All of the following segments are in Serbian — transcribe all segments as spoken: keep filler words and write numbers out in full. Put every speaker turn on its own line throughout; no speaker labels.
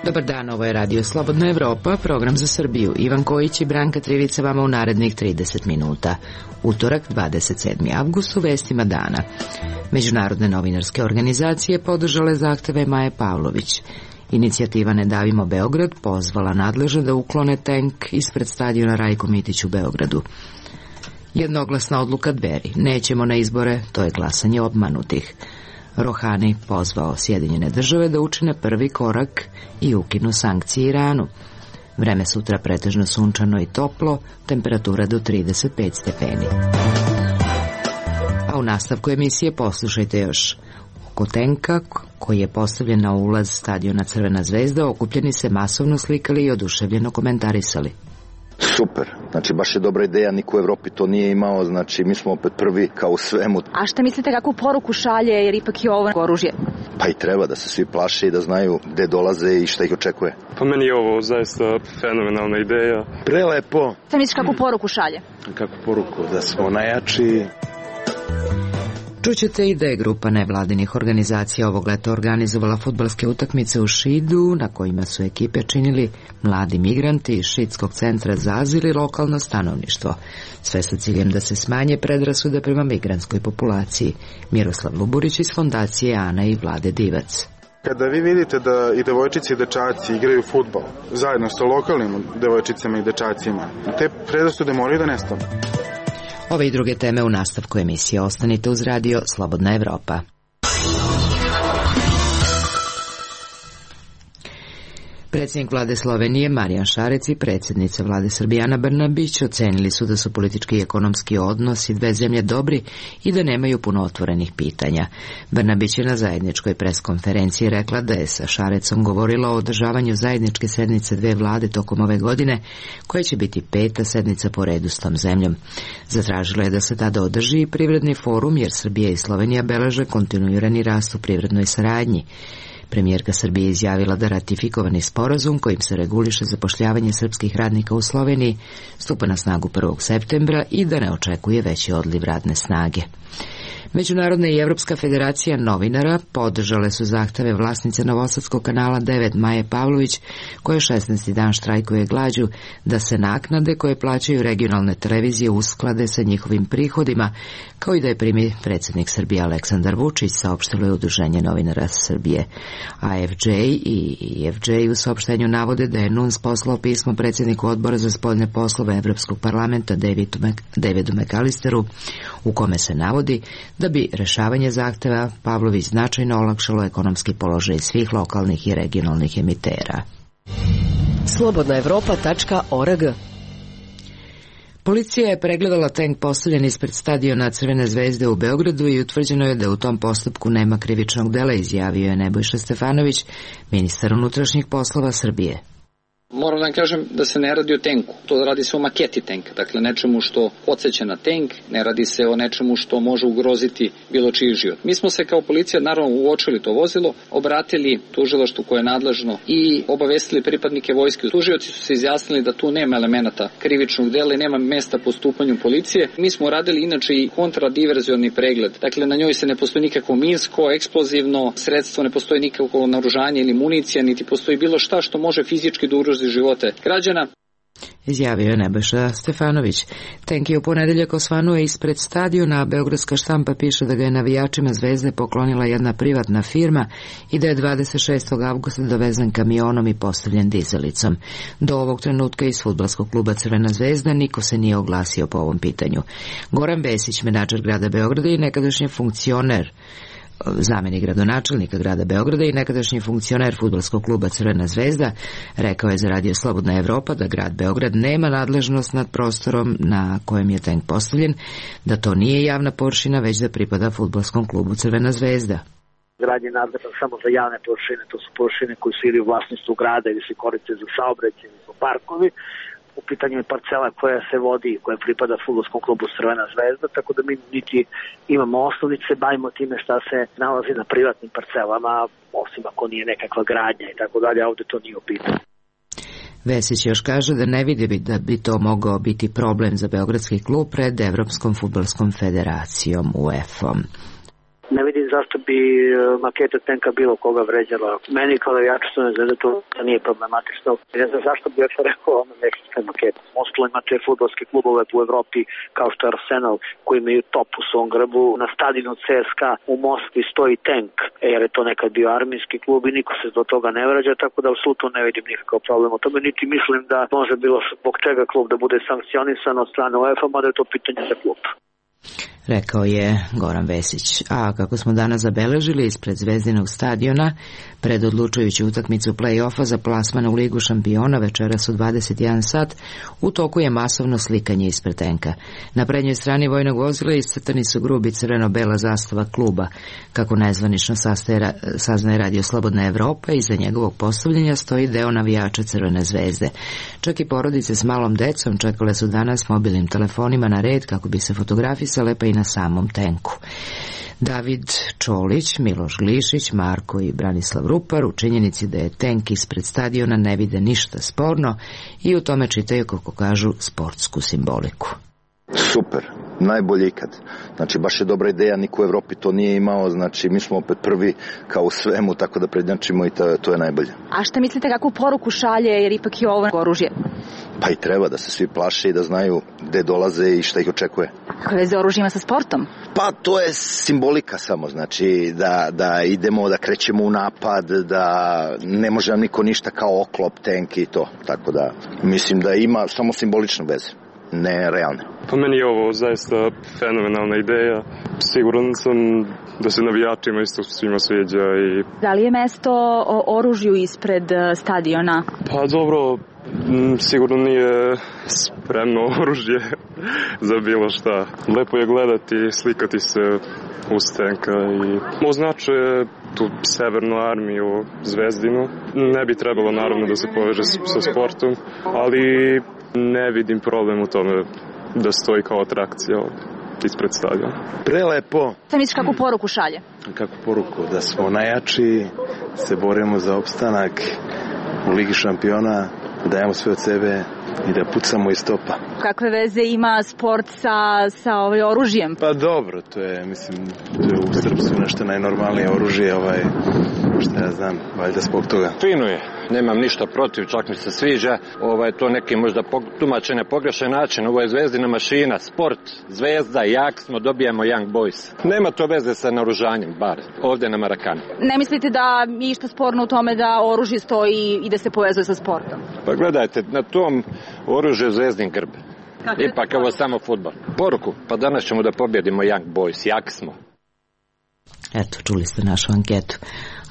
Dobar dan, ovo je Radio Slobodna Evropa, program za Srbiju. Ivan Kojić i Branka Trivica vama u narednih trideset minuta. Utorak, dvadeset sedmi avgust, u vestima dana. Međunarodne novinarske organizacije podržale zahteve Maje Pavlović. Inicijativa Ne davimo Beograd pozvala nadležne da uklone tenk ispred stadiona Rajko Mitić u Beogradu. Jednoglasna odluka Dveri. Nećemo na izbore, to je glasanje obmanutih. Rohani pozvao Sjedinjene države da učine prvi korak i ukinu sankcije Iranu. Vreme sutra pretežno sunčano i toplo, temperatura do trideset pet stepeni. A u nastavku emisije poslušajte još. Oko tenka koji je postavljen na ulaz stadiona Crvena zvezda okupljeni se masovno slikali i oduševljeno komentarisali.
Super, znači baš je dobra ideja, niko u Evropi to nije imao, znači mi smo opet prvi kao u svemu.
A šta mislite kakvu poruku šalje, jer ipak je ovo oružje?
Pa i treba da se svi plaše i da znaju gde dolaze i šta ih očekuje.
Pa meni je ovo zaista fenomenalna ideja.
Prelepo.
Šta misliš kakvu poruku šalje?
Kakvu poruku? Da smo najjači.
Čućete i da je grupa nevladinih organizacija ovog leta organizovala fudbalske utakmice u Šidu, na kojima su ekipe činili mladi migranti iz Šidskog centra za azil i lokalno stanovništvo. Sve sa ciljem da se smanje predrasude prema migrantskoj populaciji. Miroslav Luburić iz fondacije Ana i Vlade Divac.
Kada vi vidite da i devojčice i dečaci igraju fudbal zajedno sa lokalnim devojčicama i dečacima, te predrasude moraju da nestanu.
Ove i druge teme u nastavku emisije. Ostanite uz Radio Slobodna Evropa. Predsjednik vlade Slovenije Marijan Šarec i predsjednica vlade Srbije Ana Brnabić ocenili su da su politički i ekonomski odnosi dve zemlje dobri i da nemaju puno otvorenih pitanja. Brnabić je na zajedničkoj preskonferenciji rekla da je sa Šarecom govorila o održavanju zajedničke sednice dve vlade tokom ove godine, koja će biti peta sednica po redu s tom zemljom. Zatražila je da se tada održi i privredni forum, jer Srbija i Slovenija beleže kontinuirani rast u privrednoj saradnji. Premijerka Srbije izjavila da ratifikovani sporazum kojim se reguliše zapošljavanje srpskih radnika u Sloveniji stupa na snagu prvog septembra i da ne očekuje veći odliv radne snage. Međunarodna i Evropska federacija novinara podržale su zahteve vlasnice Novosadskog kanala devet Maje Pavlović, koja šesnaesti dan štrajkuje glađu, da se naknade koje plaćaju regionalne televizije usklade sa njihovim prihodima, kao i da je primi predsjednik Srbije Aleksandar Vučić, saopštilo je Udruženje novinara Srbije. A F J i F J u saopštenju navode da je N U N S poslao pismo predsjedniku odbora za spoljne poslove Evropskog parlamenta Davidu McAllisteru, u kome se navodi da bi rešavanje zahteva Pavlović značajno olakšalo ekonomski položaj svih lokalnih i regionalnih emitera.
slobodna evropa tačka org.
Policija je pregledala tenk postavljen ispred stadiona Crvene zvezde u Beogradu i utvrđeno je da u tom postupku nema krivičnog dela, izjavio je Nebojša Stefanović, ministar unutrašnjih poslova Srbije.
Moram da vam kažem da se ne radi o tenku, to radi se o maketi tenka, dakle nečemu što podsjeća na tenk, ne radi se o nečemu što može ugroziti bilo čiji život. Mi smo se kao policija naravno uočili to vozilo, obratili tužilaštvu koje je nadležno i obavestili pripadnike vojske. Tužioci su se izjasnili da tu nema elemenata krivičnog dela i nema mesta postupanju policije. Mi smo radili inače i kontradiverzioni pregled, dakle na njoj se ne postoji nikakvo minsko, eksplozivno sredstvo, ne postoji nikakvo naoružanje ili municija, niti postoji bilo šta što može fizički da ugrozi živote građana.
Izjavio je Nebojša Stefanović. Tenk je u ponedeljak osvanuo ispred stadiona, a beogradska štampa piše da ga je navijačima Zvezde poklonila jedna privatna firma i da je dvadeset šestog avgusta dovezen kamionom i postavljen dizelicom. Do ovog trenutka iz fudbalskog kluba Crvena zvezda niko se nije oglasio po ovom pitanju. Goran Vesić, menadžer grada Beograda i nekadašnji funkcioner zamenik gradonačelnika grada Beograda i nekadašnji funkcioner fudbalskog kluba Crvena zvezda, rekao je za Radio Slobodna Evropa da grad Beograd nema nadležnost nad prostorom na kojem je tenk postavljen, da to nije javna površina, već da pripada fudbalskom klubu Crvena zvezda.
Grad je nadležan samo za javne površine, to su površine koje su ili u vlasništvu grada ili se koriste za saobraćaj ili za parkovi. U pitanju je parcela koja se vodi, koja pripada fudbalskom klubu Crvena zvezda, tako da mi niti imamo osnovice, bavimo time šta se nalazi na privatnim parcelama, osim ako nije nekakva gradnja i tako dalje, a ovde to nije u pitanju.
Vesić još kaže da ne vidi da bi to mogao biti problem za beogradski klub pred Evropskom fudbalskom federacijom U E F-om.
Ne vidim zašto bi maketa tenka bilo koga vređala. Meni kao navijaču Zvezde to nije problematično. Ne znam zašto bi još rekao ono nekakve makete. Ostalo imate fudbalske klubove u Evropi kao što je Arsenal koji imaju top u svom grbu. Na stadionu C S K A u Moskvi stoji tank jer je to nekad bio armijski klub i niko se do toga ne vrađa, tako da apsolutno ne vidim nikakav problem o tome, niti mislim da može bilo zbog čega klub da bude sankcionisan od strane UEFA, mada je to pitanje za klub.
Rekao je Goran Vesić. A kako smo danas zabeležili ispred Zvezdinog stadiona, pred odlučujuću utakmicu play-offa za plasman u Ligu šampiona večeras u dvadeset jedan sat, u toku je masovno slikanje ispred tenka. Na prednjoj strani vojnog vozila iscrtani su grubi crveno-bela zastava kluba. Kako nezvanično saznaje Radio Slobodna Evropa, iza njegovog postavljanja stoji deo navijača Crvene zvezde. Čak i porodice s malom decom čekale su danas mobilnim telefonima na red kako bi se fotografisale, pa i na samom tenku. David Čolić, Miloš Glišić, Marko i Branislav Rupar u činjenici da je tenk ispred stadiona ne vide ništa sporno i u tome čitaju, kako kažu, sportsku simboliku.
Super, najbolje ikad. Znači, baš je dobra ideja, niko u Evropi to nije imao, znači mi smo opet prvi kao u svemu, tako da prednjačimo i to, to je najbolje.
A šta mislite, kakvu poruku šalje, jer ipak je ovo oružje?
Pa i treba da se svi plaše i da znaju gde dolaze i šta ih očekuje.
Kakve veze oružje ima sa sportom?
Pa to je simbolika samo, znači da, da idemo, da krećemo u napad, da ne može nam niko ništa kao oklop, tank i to, tako da mislim da ima samo simbolične veze, ne realne.
Pa meni je ovo zaista fenomenalna ideja. Siguran sam da se navijačima isto svima sviđa. I...
Da li je mesto oružju ispred stadiona?
Pa dobro, sigurno nije spremno oružje za bilo šta. Lepo je gledati, slikati se uz tenka i označuje tu severnu armiju Zvezdinu. Ne bi trebalo naravno da se poveže sa sportom, ali ne vidim problem u tome da stoji kao atrakcija ispred stadiona.
Prelepo.
Šta misliš, kakvu poruku šalje?
Kakvu poruku? Da smo najjači, se borimo za opstanak u Ligi šampiona, dajemo sve od sebe i da pucamo iz topa.
Kakve veze ima sport sa, sa ovaj oružjem?
Pa dobro, to je, mislim, to je u srpstvu nešto najnormalnije oružje, ovaj, šta ja znam, valjda zbog toga.
Fino je, nemam ništa protiv, čak mi se sviđa, ovaj, to neki možda tumačene pogrešan način, ovo je Zvezdina mašina, sport, Zvezda, jak smo, dobijamo Young Boys. Nema to veze sa naoružanjem, bar ovdje na Marakanu.
Ne mislite da je išta sporno u tome da oružje stoji i da se povezuje sa sportom?
Pa gledajte, na tom oružju je Zvezdin grb. Ipak ovo je samo fudbal. Poruku, pa danas ćemo da pobjedimo Young Boys, jak smo.
Eto, čuli ste našu anketu.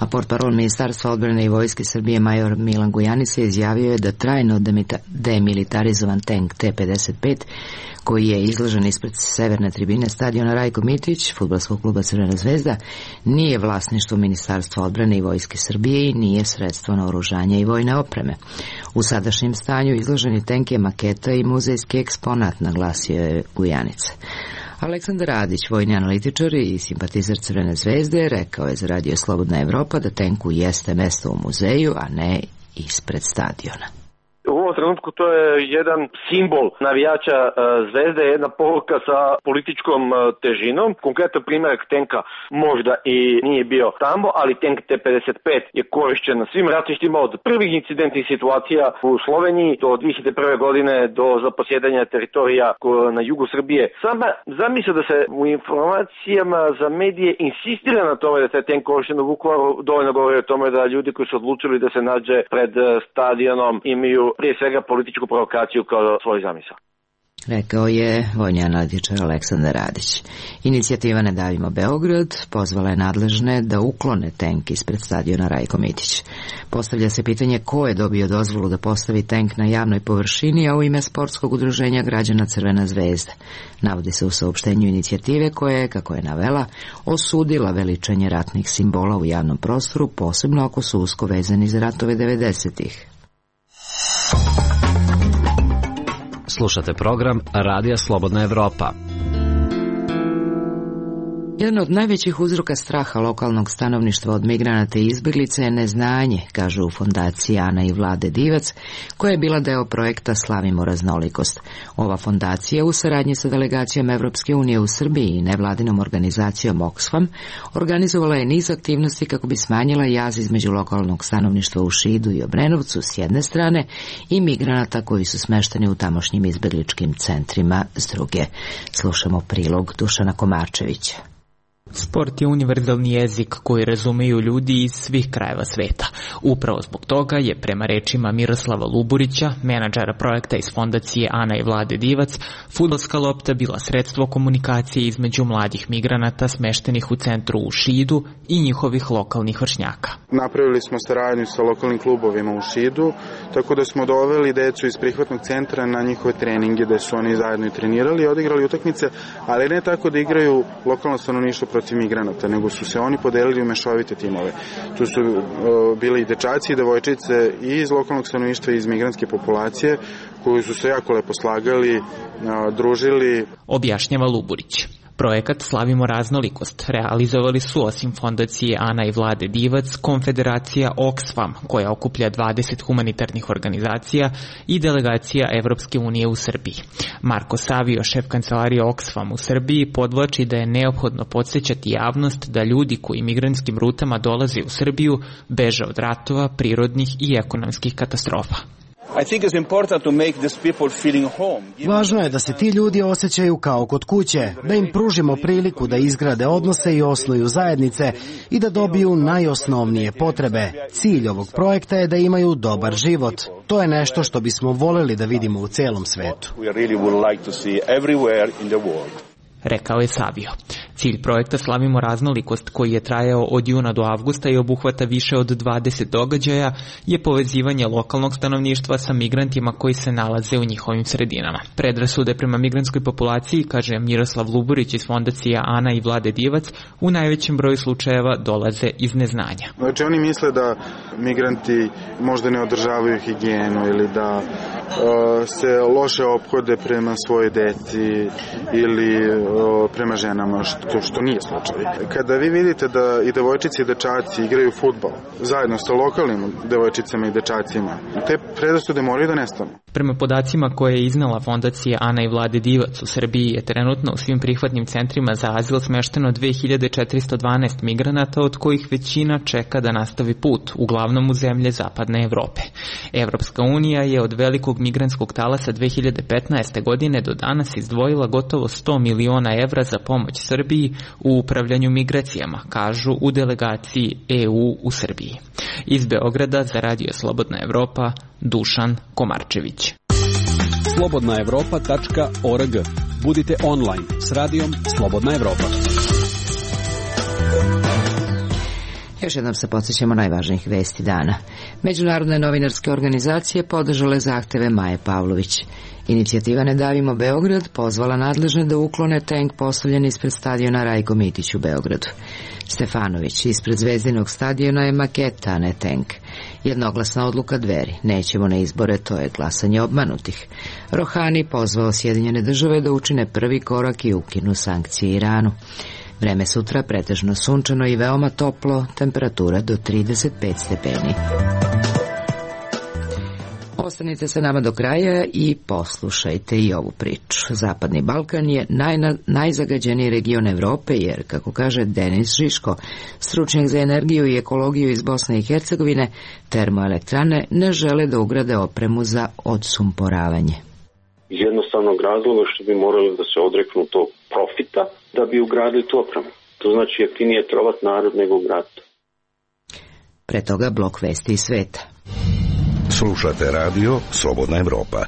A portparol Ministarstva odbrane i vojske Srbije major Milan Gujanica izjavio je da trajno demilitarizovan tank T pedeset pet, koji je izložen ispred severne tribine stadiona Rajko Mitić, fudbalskog kluba Crvena zvezda, nije vlasništvo Ministarstva odbrane i vojske Srbije i nije sredstvo naoružanja i vojne opreme. U sadašnjem stanju izloženi tank je maketa i muzejski eksponat, naglasio je Gujanica. Aleksandar Radić, vojni analitičar i simpatizer Crvene zvezde, rekao je za Radio Slobodna Evropa da tenku jeste mesto u muzeju, a ne ispred stadiona.
U ovom trenutku to je jedan simbol navijača uh, Zvezde, jedna poruka sa političkom uh, težinom. Konkretan primjerak tenka možda i nije bio tamo, ali tank T pedeset pet je korišćen na svim ratištima od prvih incidentnih situacija u Sloveniji do dve hiljade prve. godine do zaposjedanja teritorija na jugu Srbije. Sama zamisla da se u informacijama za medije insistira na tome da se tank korišćen u Vukovaru dovoljno govori o tome da ljudi koji su odlučili da se nađe pred stadionom imaju prije svega političku provokaciju kao svoj zamisao.
Rekao je vojni analitičar Aleksandar Radić. Inicijativa Ne davimo Beograd pozvala je nadležne da uklone tank ispred stadiona Rajko Mitić. Postavlja se pitanje ko je dobio dozvolu da postavi tank na javnoj površini, a u ime sportskog udruženja građana Crvena zvezda. Navodi se u saopštenju inicijative koja je, kako je navela, osudila veličanje ratnih simbola u javnom prostoru, posebno ako su usko vezani za ratove devedesetih.
Slušate program Radija Slobodna Evropa.
Jedan od najvećih uzroka straha lokalnog stanovništva od migranata i izbjeglica je neznanje, kažu u fondaciji Ana i Vlade Divac, koja je bila deo projekta Slavimo raznolikost. Ova fondacija u saradnji sa delegacijom Evropske unije u Srbiji i nevladinom organizacijom Oxfam organizovala je niz aktivnosti kako bi smanjila jaz između lokalnog stanovništva u Šidu i Obrenovcu s jedne strane i migranata koji su smešteni u tamošnjim izbjegličkim centrima s druge. Slušamo prilog Dušana Komarčevića.
Sport je univerzalni jezik koji razumeju ljudi iz svih krajeva sveta. Upravo zbog toga je, prema rečima Miroslava Luburića, menadžera projekta iz fondacije Ana i Vlade Divac, fudbalska lopta bila sredstvo komunikacije između mladih migranata smeštenih u centru u Šidu i njihovih lokalnih vršnjaka.
Napravili smo saradnju sa lokalnim klubovima u Šidu, tako da smo doveli decu iz prihvatnog centra na njihove treninge, da su oni zajedno i trenirali i odigrali utakmice, ali ne tako da igraju lokalno stanovništvo protiv migranata, nego su se oni podelili u mešovite timove. Tu su uh, bili i dečaci i devojčice i iz lokalnog stanovništva i iz migrantske populacije, koji su se jako lepo slagali, uh, družili.
Objašnjava Luburić. Projekat Slavimo raznolikost realizovali su osim fondacije Ana i Vlade Divac, konfederacija Oxfam, koja okuplja dvadeset humanitarnih organizacija, i delegacija Evropske unije u Srbiji. Marko Savio, šef kancelarije Oxfam u Srbiji, podvlači da je neophodno podsjećati javnost da ljudi koji migrantskim rutama dolaze u Srbiju beže od ratova, prirodnih i ekonomskih katastrofa.
Važno je da se ti ljudi osjećaju kao kod kuće, da im pružimo priliku da izgrade odnose i osnuju zajednice i da dobiju najosnovnije potrebe. Cilj ovog projekta je da imaju dobar život. To je nešto što bismo voljeli da vidimo u celom svetu.
Rekao je Savio. Cilj projekta Slavimo raznolikost, koji je trajao od juna do avgusta i obuhvata više od dvadeset događaja, je povezivanje lokalnog stanovništva sa migrantima koji se nalaze u njihovim sredinama. Predrasude prema migrantskoj populaciji, kaže Miroslav Luburić iz fondacija Ana i Vlade Divac, u najvećem broju slučajeva dolaze iz neznanja.
Znači oni misle da migranti možda ne održavaju higijenu ili da uh, se loše ophode prema svoje deci ili uh, prema ženama, što, što nije slučaj. Kada vi vidite da i devojčice i dečaci igraju fudbal zajedno sa lokalnim devojčicama i dečacima, te predrasude moraju da nestanu.
Prema podacima koje je iznala fondacija Ana i Vlade Divac, u Srbiji je trenutno u svim prihvatnim centrima za azil smešteno dve hiljade četiristo dvanaest migranata, od kojih većina čeka da nastavi put, uglavnom u zemlje zapadne Evrope. Evropska unija je od velikog migrantskog talasa dve hiljade petnaeste. godine do danas izdvojila gotovo sto miliona evra za pomoć Srbiji u upravljanju migracijama, kažu u delegaciji E U u Srbiji. Iz Beograda za Radio Slobodna Evropa, Dušan Komarčević.
slobodna evropa tačka org. Budite online s radijom Slobodna Evropa.
Još jednom se podsjećamo najvažnijih vesti dana. Međunarodne novinarske organizacije podržale zahteve Maje Pavlović. Inicijativa Ne davimo Beograd pozvala nadležne da uklone tenk postavljen ispred stadiona Rajko Mitić u Beogradu. Stefanović, ispred Zvezdinog stadiona je maketa, a ne tenk. Jednoglasna odluka Dveri, nećemo na izbore, to je glasanje obmanutih. Rohani pozvao Sjedinjene države da učine prvi korak i ukinu sankcije Iranu. Vreme sutra pretežno sunčano i veoma toplo, temperatura do trideset pet stepeni. Ostanite sa nama do kraja i poslušajte i ovu priču. Zapadni Balkan je najna, najzagađeniji region Evrope jer, kako kaže Denis Žiško, stručnjak za energiju i ekologiju iz Bosne i Hercegovine, termoelektrane ne žele da ugrade opremu za odsumporavanje.
Iz jednostavnog razloga što bi morali da se odreknu tog profita da bi ugradili tu opremu. To znači jeftinije trovat narod nego ugraditi.
Pre toga blok vesti iz sveta.
Slušate radio Slobodna Evropa.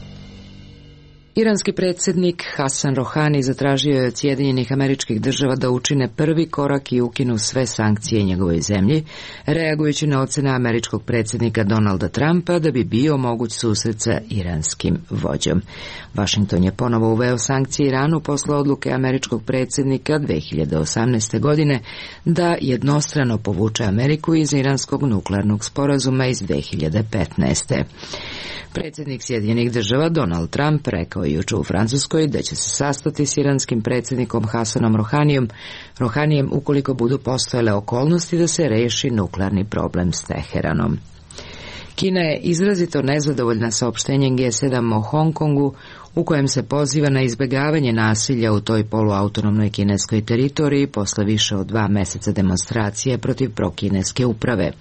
Iranski predsjednik Hasan Rohani zatražio je od Sjedinjenih Američkih Država da učine prvi korak i ukinu sve sankcije njegovoj zemlji, reagujući na ocene američkog predsjednika Donalda Trumpa da bi bio moguć susret sa iranskim vođom. Washington je ponovo uveo sankcije Iranu posle odluke američkog predsjednika dve hiljade osamnaeste. godine da jednostrano povuče Ameriku iz iranskog nuklearnog sporazuma iz dve hiljade petnaeste. Predsjednik Sjedinjenih Država Donald Trump rekao rekao je juče u Francuskoj da će se sastati s iranskim predsjednikom Hasanom Rohanijom, Rohanijem ukoliko budu postojale okolnosti da se reši nuklearni problem s Teheranom. Kina je izrazito nezadovoljna saopštenjem G sedam o Hong Kongu, u kojem se poziva na izbjegavanje nasilja u toj poluautonomnoj kineskoj teritoriji posle više od dva meseca demonstracije protiv prokineske uprave.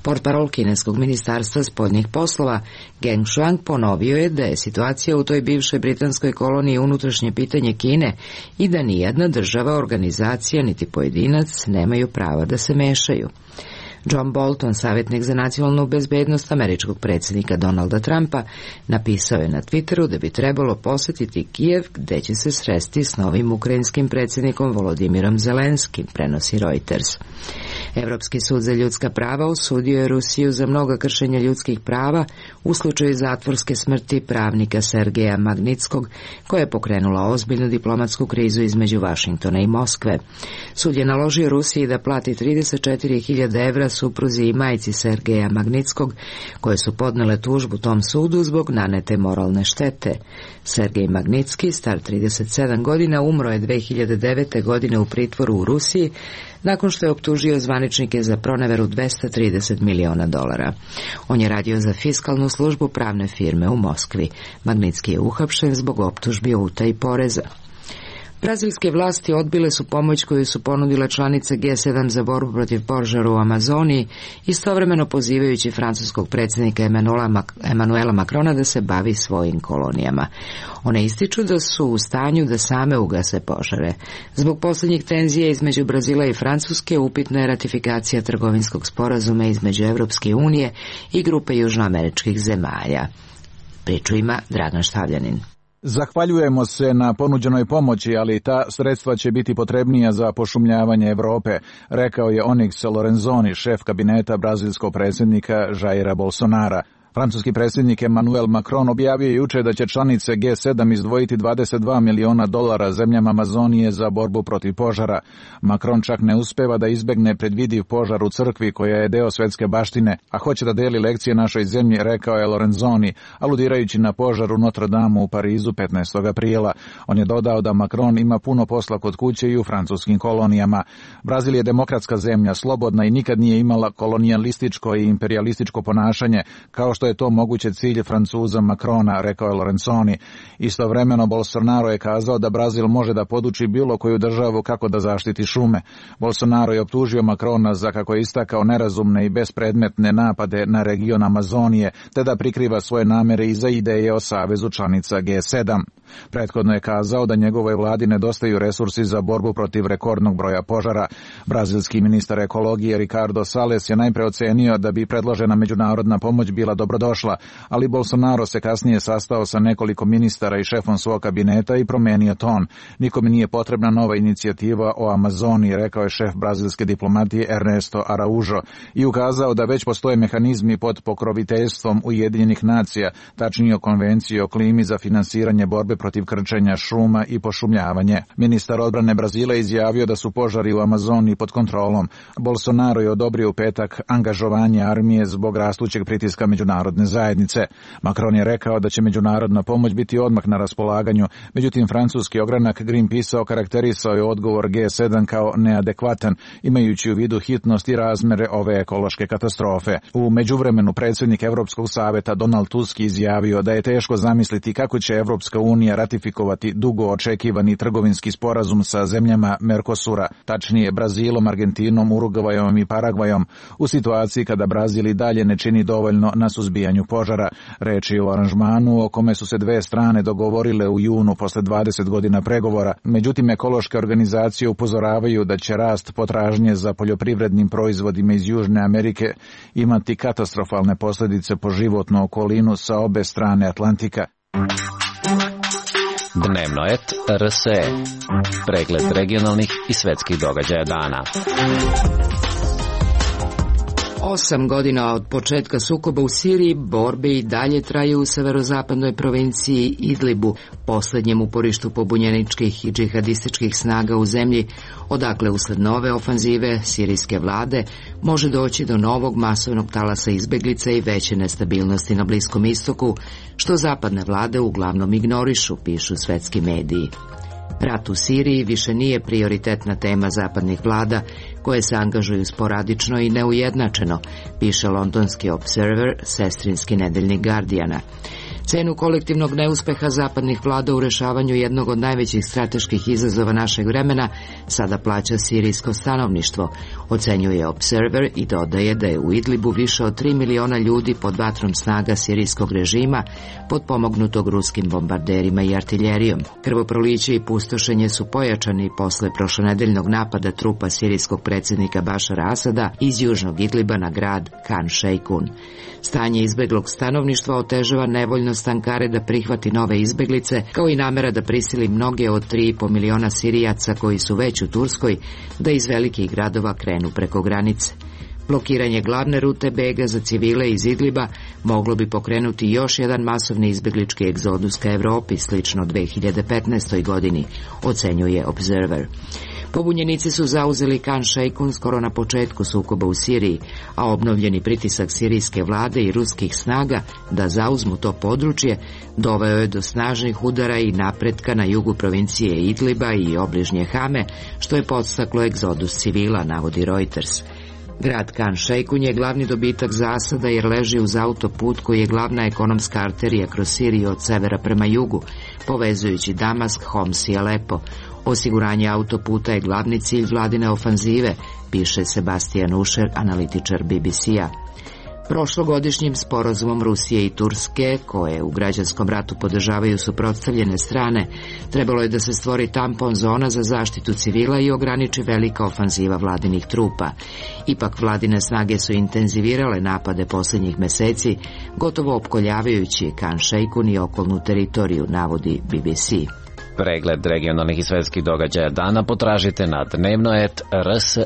Portparol kineskog ministarstva spoljnih poslova Geng Shuang ponovio je da je situacija u toj bivšoj britanskoj koloniji unutrašnje pitanje Kine i da nijedna država, organizacija niti pojedinac nemaju prava da se mešaju. John Bolton, savjetnik za nacionalnu bezbednost američkog predsjednika Donalda Trumpa, napisao je na Twitteru da bi trebalo posjetiti Kijev, gde će se sresti s novim ukrajinskim predsjednikom Volodimirom Zelenskim, prenosi Reuters. Evropski sud za ljudska prava osudio je Rusiju za mnoga kršenja ljudskih prava u slučaju zatvorske smrti pravnika Sergeja Magnitskog, koja je pokrenula ozbiljnu diplomatsku krizu između Vašingtona i Moskve. Sud je naložio Rusiji da plati trideset četiri hiljade evra supruzi i majci Sergeja Magnitskog, koje su podnele tužbu tom sudu zbog nanete moralne štete. Sergej Magnitski, star trideset sedam godina, umro je dve hiljade devete. godine u pritvoru u Rusiji, nakon što je optužio zvaničnike za proneveru dvesta trideset miliona dolara. On je radio za fiskalnu službu pravne firme u Moskvi. Magnitski je uhapšen zbog optužbi o utaji poreza. Brazilske vlasti odbile su pomoć koju su ponudile članice G sedam za borbu protiv požara u Amazoniji, istovremeno pozivajući francuskog predsjednika Emanuela Macrona da se bavi svojim kolonijama. One ističu da su u stanju da same ugase požare. Zbog posljednjih tenzija između Brazila i Francuske upitna je ratifikacija trgovinskog sporazuma između Evropske unije i grupe južnoameričkih zemalja. Priču ima Dragan Štavljanin.
Zahvaljujemo se na ponuđenoj pomoći, ali ta sredstva će biti potrebnija za pošumljavanje Evrope, rekao je Onyx Lorenzoni, šef kabineta brazilskog predsjednika Jaira Bolsonara. Francuski predsjednik Emmanuel Macron objavio je juče da će članice G sedam izdvojiti dvadeset dva miliona dolara zemljama Amazonije za borbu protiv požara. Macron čak ne uspeva da izbegne predvidiv požar u crkvi koja je deo svetske baštine, a hoće da deli lekcije našoj zemlji, rekao je Lorenzoni, aludirajući na požar u Notre Dame u Parizu petnaestog aprila. On je dodao da Macron ima puno posla kod kuće i u francuskim kolonijama. Brazil je demokratska zemlja, slobodna i nikad nije imala kolonijalističko i imperialističko ponašanje, kao što je to moguće cilj Francuza Macrona, rekao je Lorenzoni. Istovremeno Bolsonaro je kazao da Brazil može da poduči bilo koju državu kako da zaštiti šume. Bolsonaro je optužio Macrona za, kako je istakao, nerazumne i bespredmetne napade na region Amazonije, te da prikriva svoje namere iza ideje o savezu članica G sedam. Prethodno je kazao da njegovoj vladi nedostaju resursi za borbu protiv rekordnog broja požara. Brazilski ministar ekologije Ricardo Salles je najpre ocenio da bi predložena međunarodna pomoć bila dobrodošla, ali Bolsonaro se kasnije sastao sa nekoliko ministara i šefom svog kabineta i promenio ton. Nikome nije potrebna nova inicijativa o Amazoniji, rekao je šef brazilske diplomatije Ernesto Araujo i ukazao da već postoje mehanizmi pod pokroviteljstvom Ujedinjenih nacija, tačnije o konvenciji o klimi za finansiranje borbe protiv krčenja šuma i pošumljavanje. Ministar odbrane Brazila izjavio da su požari u Amazoniji pod kontrolom. Bolsonaro je odobrio u petak angažovanje armije zbog rastućeg pritiska međunarodne zajednice. Macron je rekao da će međunarodna pomoć biti odmah na raspolaganju, međutim francuski ogranak Greenpeace okarakterisao je odgovor G sedam kao neadekvatan, imajući u vidu hitnost i razmere ove ekološke katastrofe. U međuvremenu predsjednik Evropskog saveta Donald Tusk izjavio da je teško zamisliti kako će Evropska unija ratifikovati dugo očekivani trgovinski sporazum sa zemljama Mercosura, tačnije Brazilom, Argentinom, Urugvajom i Paragvajom, u situaciji kada Brazil i dalje ne čini dovoljno na suzbijanju požara. Reč je o aranžmanu o kome su se dve strane dogovorile u junu posle dvadeset godina pregovora. Međutim, ekološke organizacije upozoravaju da će rast potražnje za poljoprivrednim proizvodima iz Južne Amerike imati katastrofalne posljedice po životnu okolinu sa obe strane Atlantika.
Dnevno et R S E. Pregled regionalnih i svetskih događaja dana.
Osam godina od početka sukoba u Siriji, borbe i dalje traju u severozapadnoj provinciji Idlibu, poslednjem uporištu pobunjeničkih i džihadističkih snaga u zemlji, odakle usled nove ofanzive sirijske vlade može doći do novog masovnog talasa izbeglica i veće nestabilnosti na Bliskom istoku, što zapadne vlade uglavnom ignorišu, pišu svetski mediji. Rat u Siriji više nije prioritetna tema zapadnih vlada, koje se angažuju sporadično i neujednačeno, piše londonski Observer, sestrinski nedeljnik Guardiana. Cenu kolektivnog neuspeha zapadnih vlada u rešavanju jednog od najvećih strateških izazova našeg vremena sada plaća sirijsko stanovništvo, ocenjuje Observer i dodaje da je u Idlibu više od tri miliona ljudi pod vatrom snaga sirijskog režima, potpomognutog ruskim bombarderima i artiljerijom. Krvoproliće i pustošenje su pojačani posle prošlonedeljnog napada trupa sirijskog predsjednika Bašara Asada iz južnog Idliba na grad Khan Sheikhoun. Stanje izbeglog stanovništva otežava nevoljnost Ankare da prihvati nove izbeglice, kao i namera da prisili mnoge od tri i po miliona Sirijaca koji su već u Turskoj da iz velikih gradova krenu preko granice. Blokiranje glavne rute bega za civile iz Idliba moglo bi pokrenuti još jedan masovni izbeglički egzodus ka Evropi, slično dve hiljade petnaestoj godini, ocenjuje Observer. Pobunjenici su zauzeli Khan Sheikhoun skoro na početku sukoba u Siriji, a obnovljeni pritisak sirijske vlade i ruskih snaga da zauzmu to područje doveo je do snažnih udara i napretka na jugu provincije Idliba i obližnje Hame, što je podstaklo egzodus civila, navodi Reuters. Grad Khan Sheikhoun je glavni dobitak za Asada jer leži uz autoput koji je glavna ekonomska arterija kroz Siriju od severa prema jugu, povezujući Damask, Homs i Alepo. Osiguranje autoputa je glavni cilj vladine ofanzive, piše Sebastian Usher, analitičar B B C-a. Prošlogodišnjim sporazumom Rusije i Turske, koje u građanskom ratu podržavaju suprotstavljene strane, trebalo je da se stvori tampon zona za zaštitu civila i ograniči velika ofanziva vladinih trupa. Ipak vladine snage su intenzivirale napade posljednjih meseci, gotovo opkoljavajući Khan Sheikhoun i okolnu teritoriju, navodi B B C.
Pregled regionalnih i svetskih događaja dana potražite na dnevno et r s e,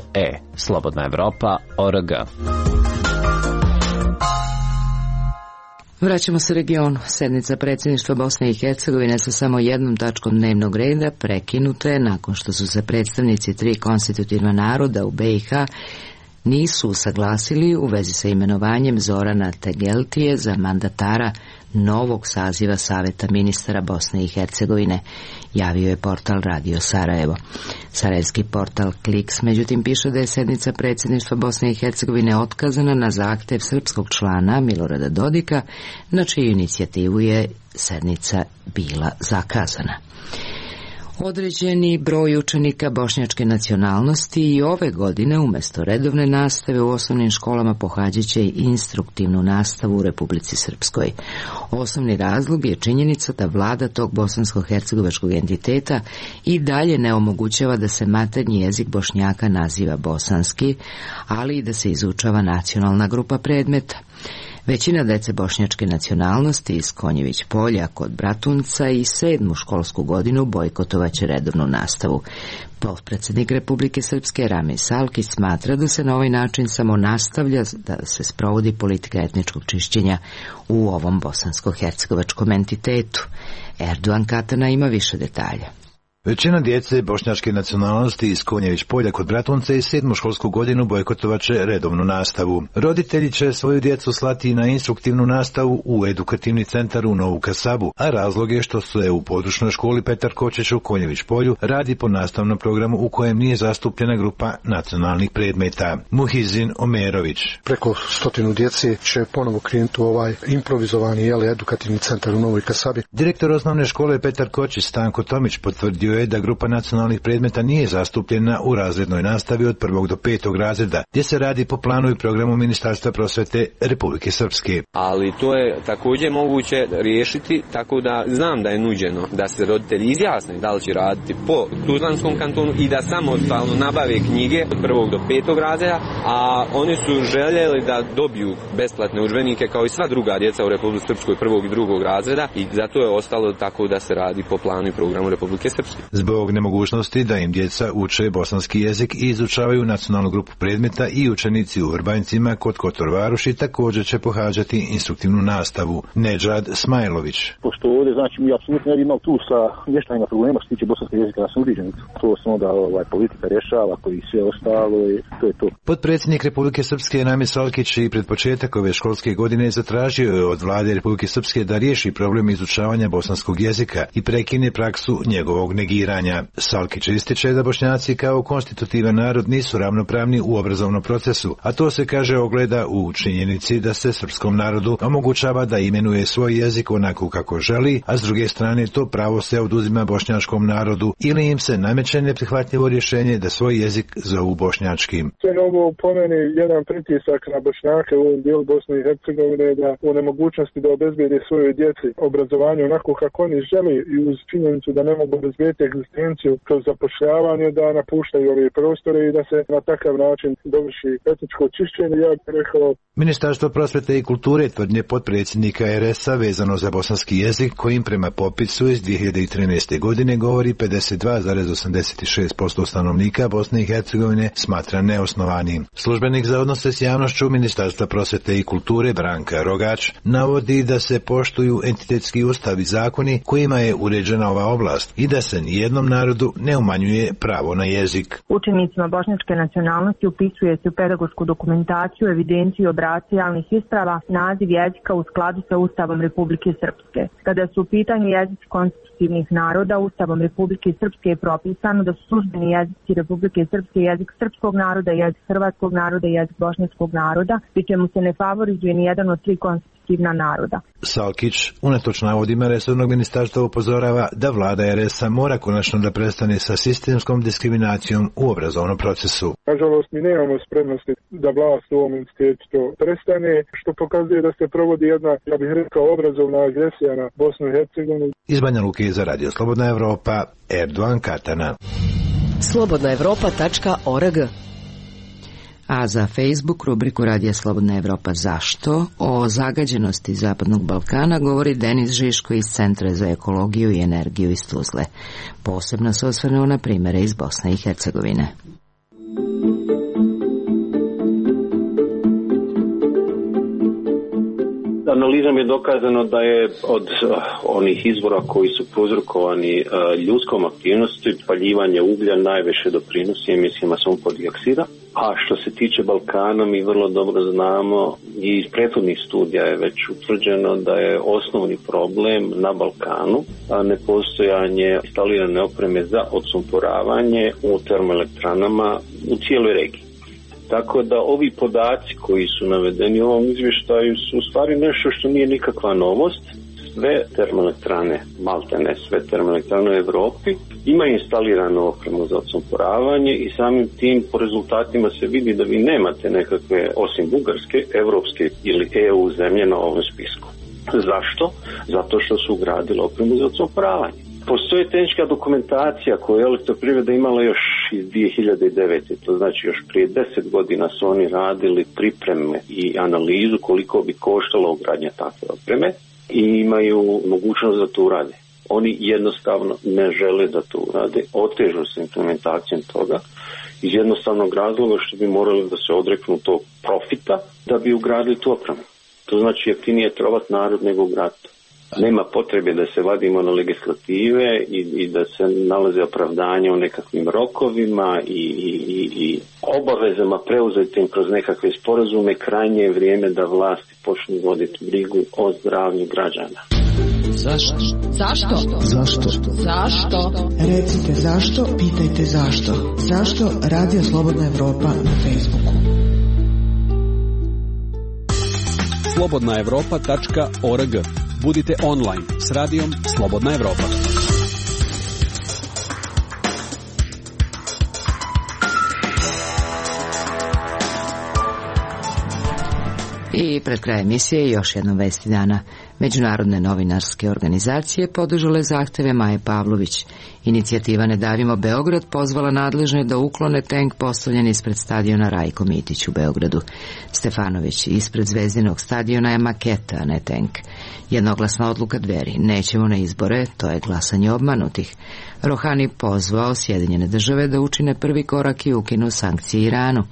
Slobodna Evropa, org.
Vraćamo se regionu. Sednica predsjedništva Bosne i Hercegovine sa samo jednom tačkom dnevnog reda prekinuta je nakon što su se predstavnici tri konstitutivna naroda u B i H nisu usaglasili u vezi sa imenovanjem Zorana Tegeltije za mandatara novog saziva Saveta ministara Bosne i Hercegovine, javio je portal Radio Sarajevo. Sarajevski portal Kliks međutim piše da je sednica predsjedništva Bosne i Hercegovine otkazana na zahtev srpskog člana Milorada Dodika, na čiju inicijativu je sednica bila zakazana. Određeni broj učenika bošnjačke nacionalnosti i ove godine umjesto redovne nastave u osnovnim školama pohađat će instruktivnu nastavu u Republici Srpskoj. Osnovni razlog je činjenica da vlada tog bosansko-hercegovačkog entiteta i dalje ne omogućava da se maternji jezik Bošnjaka naziva bosanski, ali i da se izučava nacionalna grupa predmeta. Većina dece bošnjačke nacionalnosti iz Konjević polja kod Bratunca i sedmu školsku godinu bojkotovaće redovnu nastavu. Potpredsjednik Republike Srpske Rami Salkić smatra da se na ovaj način samo nastavlja da se sprovodi politika etničkog čišćenja u ovom bosansko-hercegovačkom entitetu. Erdogan Katana ima više detalja.
Većina djece bošnjačke nacionalnosti iz Konjević polja kod Bratunca i sedmu školsku godinu bojkotovaće redovnu nastavu. Roditelji će svoju djecu slati na instruktivnu nastavu u edukativni centar u Novu Kasabu, a razlog je što se u područnoj školi Petar Kočić u Konjević polju radi po nastavnom programu u kojem nije zastupljena grupa nacionalnih predmeta. Muhizin Omerović.
Preko stotinu djece će ponovo krenuti u ovaj improvizovani jeli, edukativni centar u Novoj Kasabi.
Direktor osnovne škole Petar Kočić Stanko Tomić potvrdio je da grupa nacionalnih predmeta nije zastupljena u razrednoj nastavi od prvog do petog razreda, gdje se radi po planu i programu Ministarstva prosvete Republike Srpske.
Ali to je također moguće riješiti tako da znam da je nuđeno da se roditelji izjasne da li će raditi po Tuzlanskom kantonu i da samostalno nabave knjige od prvog do petog razreda, a oni su željeli da dobiju besplatne udžbenike kao i sva druga djeca u Republike Srpskoj prvog i drugog razreda i zato je ostalo tako da se radi po planu i programu Republike Srpske.
Zbog nemogućnosti da im djeca uče bosanski jezik i izučavaju nacionalnu grupu predmeta i učenici u Vrbanjcima kod Kotor Varoši također će pohađati instruktivnu nastavu. Nedžad Smajlović.
Pošto ovdje, znači, mi apsolutno ne bi imali tu sa mještanjima problema što se tiče bosanskog jezika na sudiđenicu. To samo da ovaj, politika rješava, koji sve ostalo i to je to.
Potpredsjednik Republike Srpske Namir Salkić i pred početak ove školske godine zatražio je od vlade Republike Srpske da riješi problem izučavanja bosanskog jezika i prekine praksu njegovog negiranja. Salkić ističe da Bošnjaci kao konstitutivan narod nisu ravnopravni u obrazovnom procesu, a to se, kaže, ogleda u činjenici da se srpskom narodu omogućava da imenuje svoj jezik onako kako želi, a s druge strane to pravo se oduzima bošnjačkom narodu ili im se nameće neprihvatljivo rješenje da svoj jezik zovu bošnjačkim.
To je ovo po meni jedan pritisak na Bošnjake u ovom dijelu Bosne i Hercegovine da u nemogućnosti da obezbede svojoj djeci obrazovanje onako kako oni želi i uz činjenicu da ne mogu obezbediti egzistenciju kroz zapošljavanje, da napuštaju ove prostore i da se na takav način dovrši etničko čišćenje. Ja bih rekao...
Ministarstvo prosvete i kulture tvrdnje potpredsjednika er es a vezano za bosanski jezik, kojim prema popisu iz dvije hiljade trinaeste. godine govori pedeset dva zarez osamdeset šest posto stanovnika Bosne i Hercegovine, smatra neosnovanim. Službenik za odnose s javnošću Ministarstva prosvete i kulture Branka Rogač navodi da se poštuju entitetski ustav i zakoni kojima je uređena ova oblast i da se nijednom narodu ne umanjuje pravo na jezik.
Učenicima bošnjačke nacionalnosti upisuje se u pedagošku dokumentaciju, evidenciju, obrasce javnih isprava, naziv jezika u skladu sa Ustavom Republike Srpske. Kada su u pitanju jezici konstitutivnih naroda, Ustavom Republike Srpske je propisano da su službeni jezici Republike Srpske jezik srpskog naroda, jezik hrvatskog naroda i jezik bošnjačkog naroda, pri čemu se ne favorizuje ni jedan od tri konstitutivna naroda.
Salkić unatoč navodima resornog ministarstva upozorava da vlada er es a mora konačno da prestane sa sistemskom diskriminacijom u obrazovnom procesu.
Nažalost, mi nemamo spremnosti da vlast u ovom institutu to prestane, što pokazuje da se provodi jedna, ja bih rekao, obrazovna agresija na Bosnu i Hercegovinu.
Iz Banja Luke za Radio Slobodna Evropa, Erdogan Katana.
slobodna evropa tačka org. A za Facebook rubriku Radija Slobodna Evropa Zašto? O zagađenosti Zapadnog Balkana govori Denis Žiško iz Centra za ekologiju i energiju iz Tuzle. Posebno se osvrnuo na primere iz Bosne i Hercegovine.
Analizom je dokazano da je od uh, onih izvora koji su prouzrokovani uh, ljudskom aktivnosti, paljivanje uglja najviše doprinosi emisijama sumpor dioksida. A što se tiče Balkana, mi vrlo dobro znamo i iz prethodnih studija je već utvrđeno da je osnovni problem na Balkanu a nepostojanje instalirane opreme za odsumporavanje u termoelektranama u cijeloj regiji. Tako da ovi podaci koji su navedeni u ovom izvještaju su u stvari nešto što nije nikakva novost. Sve termoelektrane, maltene sve termoelektrane u Evropi imaju instaliranu opremu za odsumporavanje i samim tim po rezultatima se vidi da vi nemate nekakve, osim Bugarske, evropske ili e u zemlje na ovom spisku. Zašto? Zato što su ugradili opremu za odsumporavanje. Postoji tehnička dokumentacija koju je Elektroprivreda imala još iz dvije hiljade devete. To znači još prije deset godina su oni radili pripreme i analizu koliko bi koštalo ugradnja takve opreme i imaju mogućnost da to urade. Oni jednostavno ne žele da to urade, otežu se implementacijom toga iz jednostavnog razloga što bi morali da se odreknu tog profita da bi ugradili tu opremu. To znači jeftinije trovat narod nego ugraditi. Nema potrebe da se vadimo na legislative i, i da se nalaze opravdanja u nekakvim rokovima i, i, i obavezama preuzetim kroz nekakve sporazume. Krajnje je vrijeme da vlasti počnu voditi brigu o zdravlju građana.
Zašto?
Zašto?
Zašto?
Zašto? Recite zašto, pitajte zašto. Zašto? Radio Slobodna Evropa na Facebooku.
slobodna evropa tačka org. Budite online s radijom Slobodna Evropa.
I pred kraj emisije još jednom vesti dana. Međunarodne novinarske organizacije podržale zahteve Maje Pavlović. Inicijativa Ne davimo Beograd pozvala nadležne da uklone tenk postavljen ispred stadiona Rajko Mitić u Beogradu. Stefanović, ispred Zvezdinog stadiona je maketa, a ne tenk. Jednoglasna odluka Dveri, nećemo na izbore, to je glasanje obmanutih. Rohani pozvao Sjedinjene države da učine prvi korak i ukinu sankcije Iranu.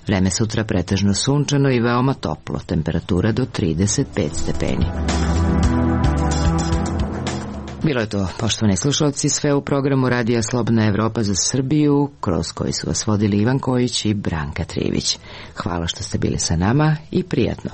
Vreme sutra pretežno sunčano i veoma toplo, temperatura do trideset pet stepeni. Bilo je to, poštovani slušalci, sve u programu Radija Slobodna Evropa za Srbiju, kroz koji su vas vodili Ivan Kojić i Branka Trivić. Hvala što ste bili sa nama i prijatno.